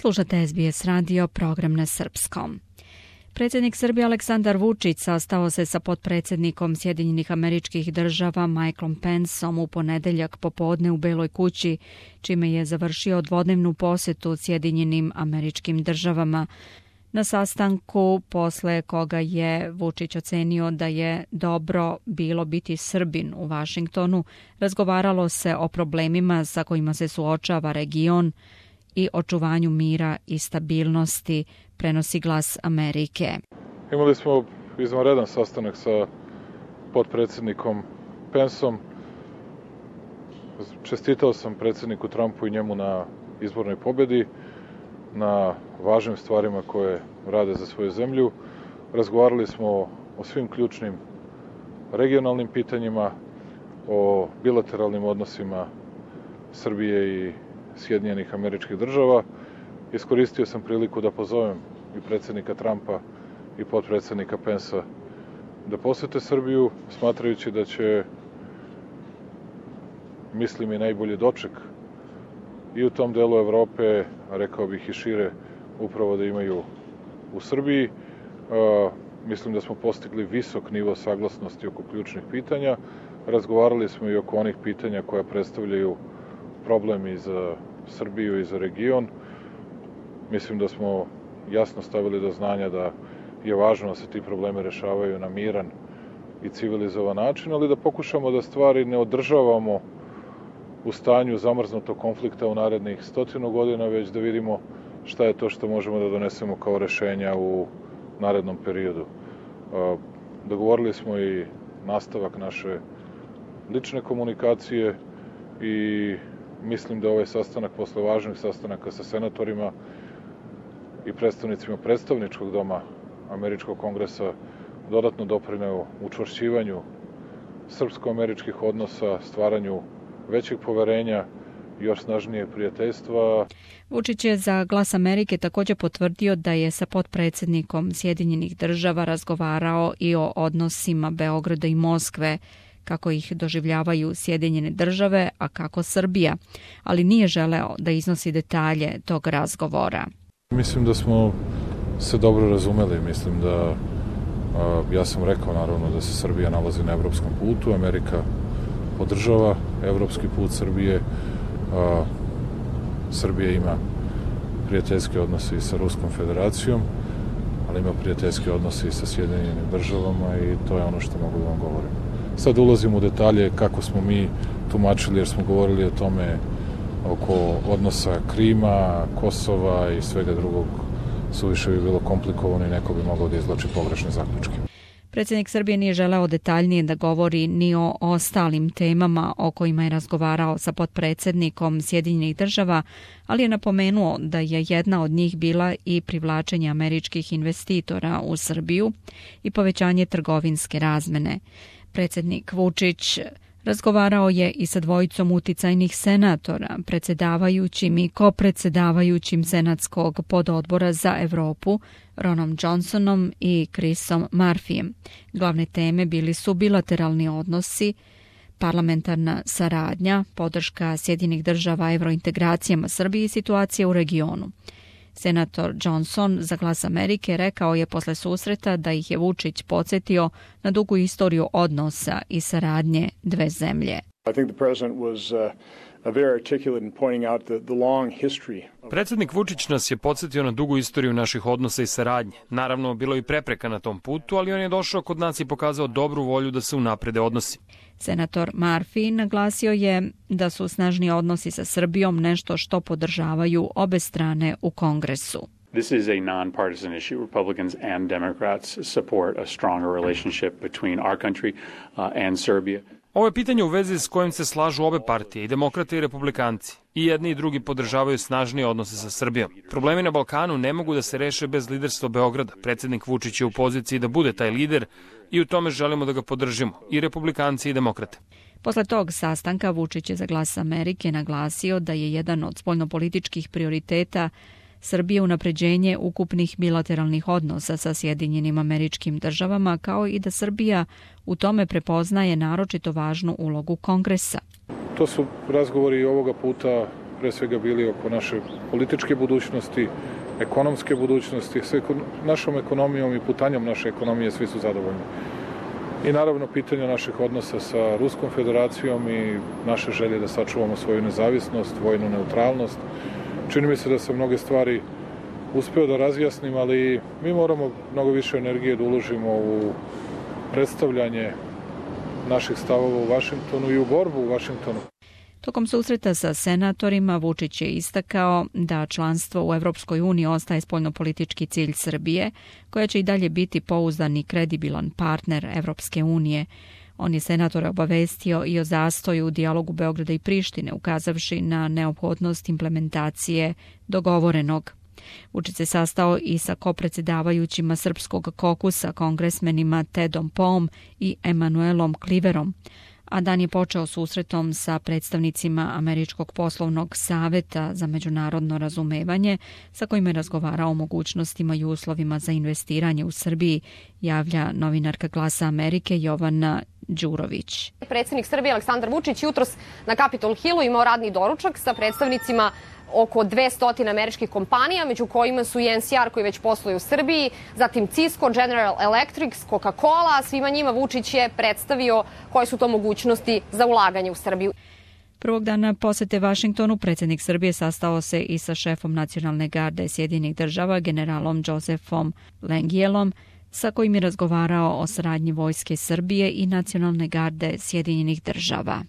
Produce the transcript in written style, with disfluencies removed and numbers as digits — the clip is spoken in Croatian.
Slušate SBS radio, program na srpskom. Predsjednik Srbije Aleksandar Vučić sastao se sa potpredsjednikom Sjedinjenih Američkih Država Michaelom Penceom u ponedeljak popodne u Beloj kući, čime je završio dvodnevnu posjetu Sjedinjenim Američkim Državama. Na sastanku, posle koga je Vučić ocenio da je dobro bilo biti Srbin u Vašingtonu, razgovaralo se o problemima sa kojima se suočava region i očuvanju mira i stabilnosti, prenosi Glas Amerike. Imali smo izvanredan sastanak sa potpredsjednikom Penceom. Čestitao sam predsjedniku Trumpu i njemu na izbornoj pobjedi, na važnim stvarima koje rade za svoju zemlju. Razgovarali smo o svim ključnim regionalnim pitanjima, o bilateralnim odnosima Srbije i Sjedinjenih Američkih Država. Iskoristio sam priliku da pozovem i predsjednika Trumpa i potpredsjednika Pencea da posjete Srbiju, smatrajući da će, mislim, i najbolji doček i u tom delu Evrope, a rekao bih i šire, upravo da imaju u Srbiji. Mislim da smo postigli visok nivo saglasnosti oko ključnih pitanja. Razgovarali smo i oko onih pitanja koja predstavljaju problem i za Srbiju i za region. Mislim da smo jasno stavili do znanja da je važno da se ti problemi rešavaju na miran i civilizovan način, ali da pokušamo da stvari ne održavamo u stanju zamrznutog konflikta u narednih 100 godina, već da vidimo šta je to što možemo da donesemo kao rešenja u narednom periodu. Dogovorili smo i nastavak naše lične komunikacije i mislim da ovaj sastanak, posle važnih sastanaka sa senatorima i predstavnicima predstavničkog doma Američkog kongresa, dodatno doprineo učvršćivanju srpsko-američkih odnosa, stvaranju većeg poverenja i još snažnije prijateljstva. Vučić je za Glas Amerike također potvrdio da je sa potpredsjednikom Sjedinjenih Država razgovarao i o odnosima Beograda i Moskve, kako ih doživljavaju Sjedinjene Države, a kako Srbija, ali nije želeo da iznosi detalje tog razgovora. Mislim da smo se dobro razumeli, mislim da ja sam rekao naravno da se Srbija nalazi na evropskom putu, Amerika podržava evropski put Srbije, Srbija ima prijateljske odnose i sa Ruskom federacijom, ali ima prijateljske odnose i sa Sjedinjenim Državama i to je ono što mogu da vam govorim. Sad ulazim u detalje kako smo mi tumačili, jer smo govorili o tome oko odnosa Krima, Kosova i svega drugog, suviše bi bilo komplikovano i neko bi mogao da izvlači pogrešne zaključke. Predsjednik Srbije nije želeo detaljnije da govori ni o ostalim temama o kojima je razgovarao sa potpredsjednikom Sjedinjenih Država, ali je napomenuo da je jedna od njih bila i privlačenje američkih investitora u Srbiju i povećanje trgovinske razmene. Predsjednik Vučić razgovarao je i sa dvojicom uticajnih senatora, predsjedavajućim i kopredsjedavajućim senatskog pododbora za Evropu, Ronom Johnsonom i Chrisom Murphyjem. Glavne teme bili su bilateralni odnosi, parlamentarna saradnja, podrška Sjedinjenih Država evrointegracijama Srbije i situacija u regionu. Senator Johnson za Glas Amerike rekao je posle susreta da ih je Vučić podsjetio na dugu istoriju odnosa i saradnje dve zemlje. Predsjednik Vučić nas je podsjetio na dugu istoriju naših odnosa i saradnje. Naravno, bilo je i prepreka na tom putu, ali on je došao kod nas i pokazao dobru volju da se unaprede odnosi. Senator Murphy naglasio je da su snažni odnosi sa Srbijom nešto što podržavaju obe strane u Kongresu. This is a non-partisan issue. Republicans and Democrats support a stronger relationship between our country and Serbia. Ovo je pitanje u vezi s kojim se slažu obe partije, i demokrate i republikanci. I jedni i drugi podržavaju snažnije odnose sa Srbijom. Problemi na Balkanu ne mogu da se reše bez liderstva Beograda. Predsjednik Vučić je u poziciji da bude taj lider i u tome želimo da ga podržimo, i republikanci i demokrate. Posle tog sastanka Vučić je za Glas Amerike naglasio da je jedan od spoljnopolitičkih prioriteta Srbije unapređenje ukupnih bilateralnih odnosa sa Sjedinjenim Američkim Državama, kao i da Srbija u tome prepoznaje naročito važnu ulogu Kongresa. To su razgovori ovoga puta pre svega bili oko naše političke budućnosti, ekonomske budućnosti, s našom ekonomijom i putanjom naše ekonomije svi su zadovoljni. I naravno pitanje naših odnosa sa Ruskom federacijom i naše želje da sačuvamo svoju nezavisnost, vojnu neutralnost. Čini mi se da se mnoge stvari uspeo da razjasnim, ali mi moramo mnogo više energije da uložimo u predstavljanje naših stavova u Vašingtonu i u borbu u Vašingtonu. Tokom susreta sa senatorima Vučić je istakao da članstvo u Evropskoj uniji ostaje spoljnopolitički cilj Srbije, koja će i dalje biti pouzdan i kredibilan partner Evropske unije. On je senatore obavestio i o zastoju u dijalogu Beograda i Prištine, ukazavši na neophodnost implementacije dogovorenog. Vučić se sastao i sa kopredsjedavajućima Srpskog kokusa, kongresmenima Tedom Poom i Emanuelom Kliverom, a dan je počeo susretom sa predstavnicima Američkog poslovnog saveta za međunarodno razumevanje, sa kojima je razgovarao o mogućnostima i uslovima za investiranje u Srbiji, javlja novinarka Glasa Amerike Jovana Đurović. Predsjednik Srbije Aleksandar Vučić jutros na Capitol Hillu imao radni doručak sa predstavnicima oko 200 američkih kompanija, među kojima su i NCR koji već posluje u Srbiji, zatim Cisco, General Electric, Coca-Cola. Svima njima Vučić je predstavio koje su to mogućnosti za ulaganje u Srbiju. Prvog dana posete Vašingtonu predsjednik Srbije sastao se i sa šefom Nacionalne garde Sjedinjenih država, generalom Josephom Lengielom, sa kojim je razgovarao o saradnji vojske Srbije i Nacionalne garde Sjedinjenih država.